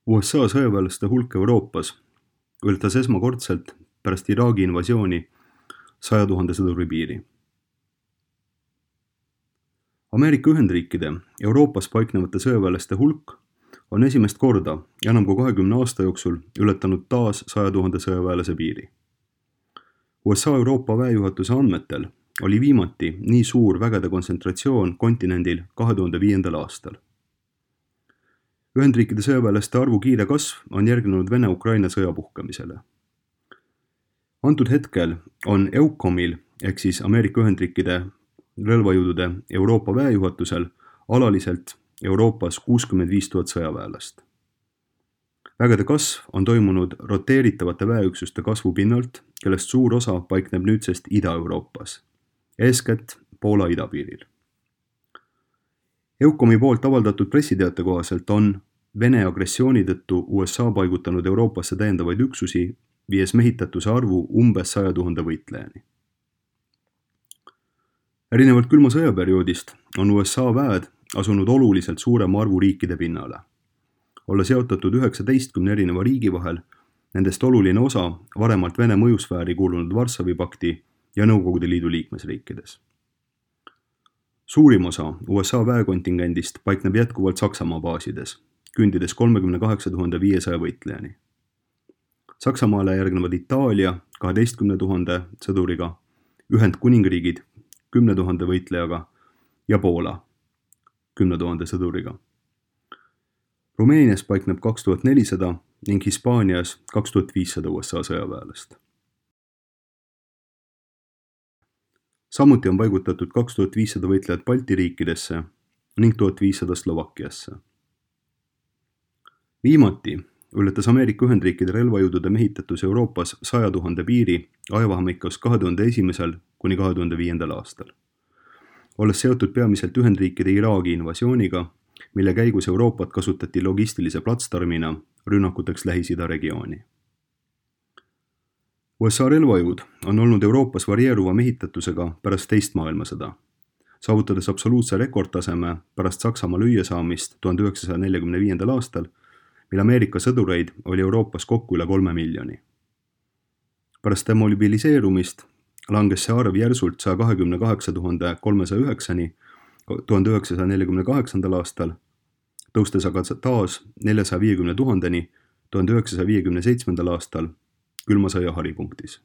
USA sõjaväelaste hulk Euroopas ületas esmakordselt pärast Iraagi invasiooni 100 000 sõduri piiri. Ameerika Ühendriikide Euroopas paiknevate sõjaväelaste hulk on esimest korda enam kui 20 aasta jooksul ületanud taas 100 000 sõjaväelase piiri. USA Euroopa väejuhatuse andmetel oli viimati nii suur vägede kontsentratsioon kontinendil 2005. aastal. Ühendriikide sõjaväelaste arvu kiire kasv on järgnenud Vene-Ukraina sõja puhkemisele. Antud hetkel on EUCOMil ehk siis Ameerika Ühendriikide relvajõudude Euroopa väejuhatusel alaliselt Euroopas 65 000 sõjaväelast. Vägede kasv on toimunud roteeritavate väeüksuste kasvu pinnalt, kellest suur osa paikneb nüüdsest Ida-Euroopas, eeskätt Poola idapiiril. EUCOMi poolt avaldatud pressiteate kohaselt on Vene agressiooni tõttu USA paigutanud Euroopasse täiendavaid üksusi, viies mehitatuse arvu umbes 100 000 võitlejani. Erinevalt külma sõjaperioodist on USA väed asunud oluliselt suurema arvu riikide pinnale. Olla seotatud 19 erineva riigi vahel, nendest oluline osa varemalt Vene mõjusfääri kuulunud Varssavi pakti ja Nõukogude Liidu liikmesriikides. Suurim osa USA väekontingendist paikneb jätkuvalt Saksamaa baasides, kündides 38 500 võitlejani. Saksamaale järgnevad Itaalia 12 000 sõduriga, Ühendkuningriigid 10 000 võitlejaga ja Poola 10 000 sõduriga. Rumeenias paikneb 2400 ning Hispaanias 2500 USA sõjaväelast. Samuti on paigutatud 2500 võitlejat Balti riikidesse ning 1500 Slovakkiasse. Viimati ületas Ameerika Ühendriikide relvajõudude mehitatus Euroopas 100 000 piiri ajavahemikus 2001. kuni 2005. aastal. Olles seotud peamiselt Ühendriikide Iraagi invasiooniga, mille käigus Euroopat kasutati logistilise platsdarmina rünnakuteks Lähis-Ida regiooni. USA relvajõud on olnud Euroopas varieeruva mehitatusega pärast teist maailmasõda, saavutades absoluutse rekordtaseme pärast Saksamaa lüüasaamist 1945. aastal, mil Ameerika sõdureid oli Euroopas kokku üle 3 miljoni. Pärast demobiliseerumist langes see arv järsult 128 309-ni 1948. aastal, tõustes aga taas 450 000-ni 1957. aastal külma sõja haripunktis.